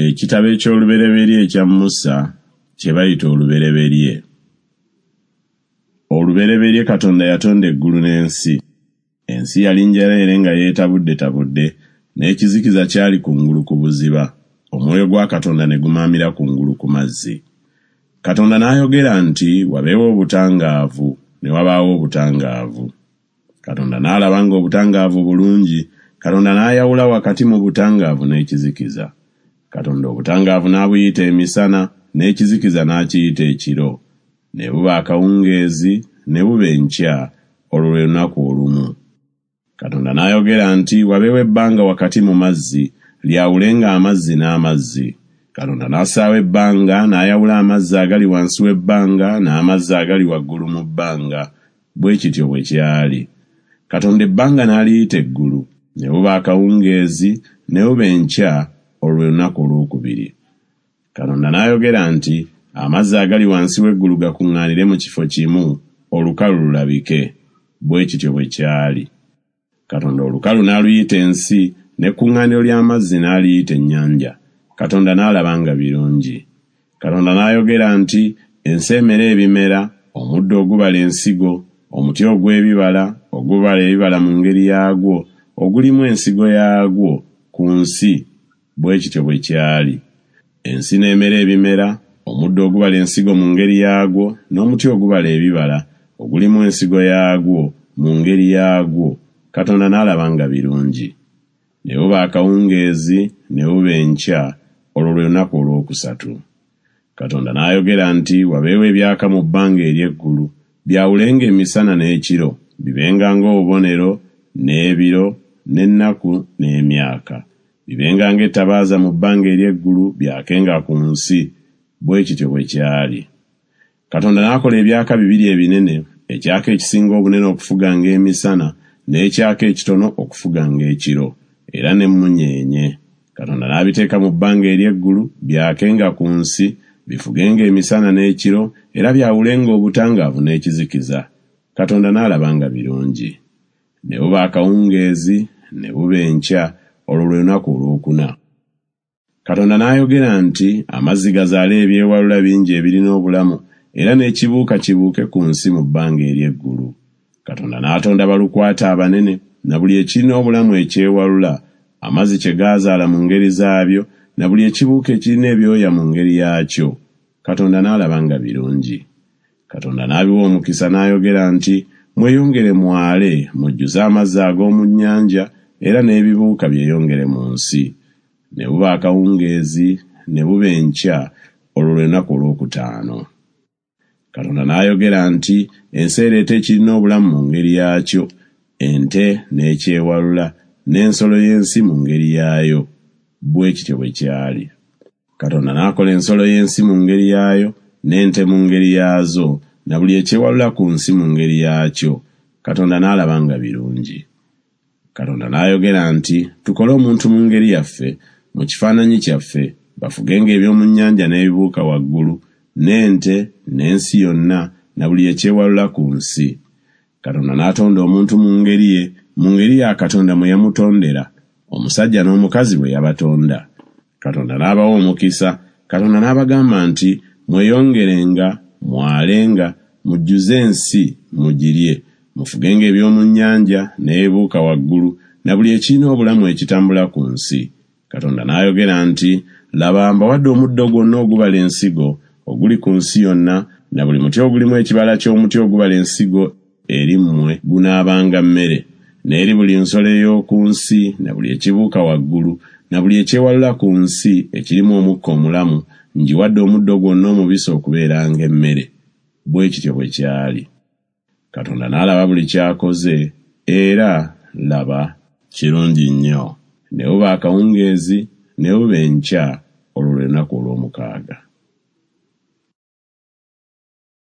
Ekitabo eky'Olubereberye ekya Musa kye bayita Olubereberye. Olubereberye Katonda yatonda eggulu n'ensi. Ensi yali njereere nga yeetabuddetabudde, n'ekizikiza kyali kungulu ku buziba, omwoyo gwa Katonda ne gumaamira kungulu ku mazzi. Katonda n'ayogera nti, Wabeewo obutangaavu, ne wabaawo obutangaavu. Katonda n'alaba ng'obutangaavu bulungi, Katonda n'ayawula wakati mu butangaavu n'ekizikiza. Katonda obutangaavu n'abuyita emisana, n'ekizikiza n'akiyita ekiro. Ne buba akawungeezi, ne buba enkya, olwo lwe lunaku olumu. Katonda n'ayogera nti, Wabeewo ebbanga wakati mu mazzi, lyawulenga amazzi n'amazzi. Katonda n'assaawo ebbanga, n'ayawula amazzi agali wansi w'ebbanga n'amazzi agali waggulu mu bbanga. Bwe kityo bwe kyali. Katonda ebbanga n'aliyita eggulu. Ne buba akawungeezi, ne buba enkya, olwo lwe lunaku olwokubiri. Katonda n'ayogera nti, Amazzi agali wansi w'eggulu gakuŋŋaanire mu kifo kimu, olukalu lulabike. Bwe kityo bwe kyali. Katonda olukalu n'aluyita ensi, n'ekkuŋŋaaniro ly'amazzi n'aliyita ennyanja. Katonda n'alaba nga birungi. Katonda n'ayogera nti, Ensi emere ebimera, omuddo ogubala ensigo, omuti ogw'ebibala, ogubala ebibala mu ngeri yaagwo, ogulimu ensigo yaagwo, ku nsi. Bwe kityo bwe kyali. Ensi n'emera ebimera, omuddo ogubala ensigo mu ngeri yaagwo, n'omuti ogubala ebibala, ogulimu ensigo yaagwo, mu ngeri yaagwo. Katonda n'alaba nga birungi. Ne buba akawungeezi, ne buba enkya, olwo lwe lunaku olwokusatu. Katonda n'ayogera nti, Wabeewo ebyaka mu bbanga ery'eggulu, byawulenga emisana n'ekiro, bibenga ng'obubonero, n'ebiro, n'ennaku, n'emyaka. Bibenga ng'ettabaaza mu bbanga ery'eggulu, byakenga ku nsi. Bwe kityo bwe kyali. Katonda n'akola ebyaka bibiri ebinene, ekyaka ekisinga obunene okufuganga emisana, n'ekyaka ekitono okufuganga ekiro, era n'emmunyeenye. Katonda n'abiteeka mu bbanga ery'eggulu, byakenga ku nsi, bifugenga emisana n'ekiro, era byawulenga obutangaavu n'ekizikiza. Katonda n'alaba nga birungi. Ne buba akawungeezi, ne buba enkya, olwo lwe lunaku olwokuna. Katonda n'ayogera nti, Amazzi gazaale ebyewalula bingi ebirina obulamu, era n'ekibuuka kibuuke ku nsi mu bbanga ery'eggulu. Katonda n'atonda balukwata abanene, na buli ekirina obulamu ekyewalula, amazzi kye gaazaala mu ngeri zaabyo, na buli ekibuuka ekirina ebyoya mu ngeri yaakyo. Katonda n'alaba nga birungi. Katonda n'abiwa omukisa n'ayogera nti, Mweyongere mwale, mujjuze amazzi ag'omu nnyanja, era n'ebibuuka byeyongere mu nsi. Ne buba akawungeezi, ne buba enkya, olwo lwe lunaku olwokutaano. Katonda n'ayogera nti, Ensi ereete ekirina obulamu mu ngeri yaakyo, ente n'ekyewalula, n'ensolo y'ensi mu ngeri yaayo. Bwe kityo bwe kyali. Katonda n'akola ensolo y'ensi mu ngeri yaayo, n'ente mu ngeri yaazo, na buli ekyewalula ku nsi mu ngeri yaakyo. Katonda n'alaba nga birungi. Katonda n'ayogera nti, Tukole omuntu mu ngeri yaffe, mu kifaananyi kyaffe, bafugenga eby'omu nnyanja n'ebibuuka waggulu, n'ente, n'ensi yonna, na buli ekyewalula ku nsi. Katonda n'atonda omuntu mu ngeri ye, mu ngeri ya Katonda mwe yamutondera, omusajja n'omukazi bwe yabatonda. Katonda n'abawa omukisa, Katonda n'abagamba nti, Mweyongerenga, mwalenga, mujjuze ensi, mugirye, mufugenga eby'omu nnyanja, n'ebibuuka waggulu, na buli ekirina obulamu ekitambula ku nsi. Katonda n'ayogera nti, Laba, mbawadde omuddo gwonna ogubala ensigo, oguli ku nsi yonna, na buli muti ogulimu ekibala ky'omuti ogubala ensigo eri mmwe gunaabanga mmere. N'eri buli nsolo ey'oku nsi, na buli ekibuuka waggulu, na buli ekyewalula ku nsi, ekirimu omukka omulamu, ngiwadde omuddo gwonna omubisi okubeeranga emmere. Bwe kityo bwe kyali. Katonda n'alaba buli ky'akoze, era, laba, kirungi nnyo. Ne buba akawungeezi, ne buba enkya, olwo lwe lunaku olw'omukaaga.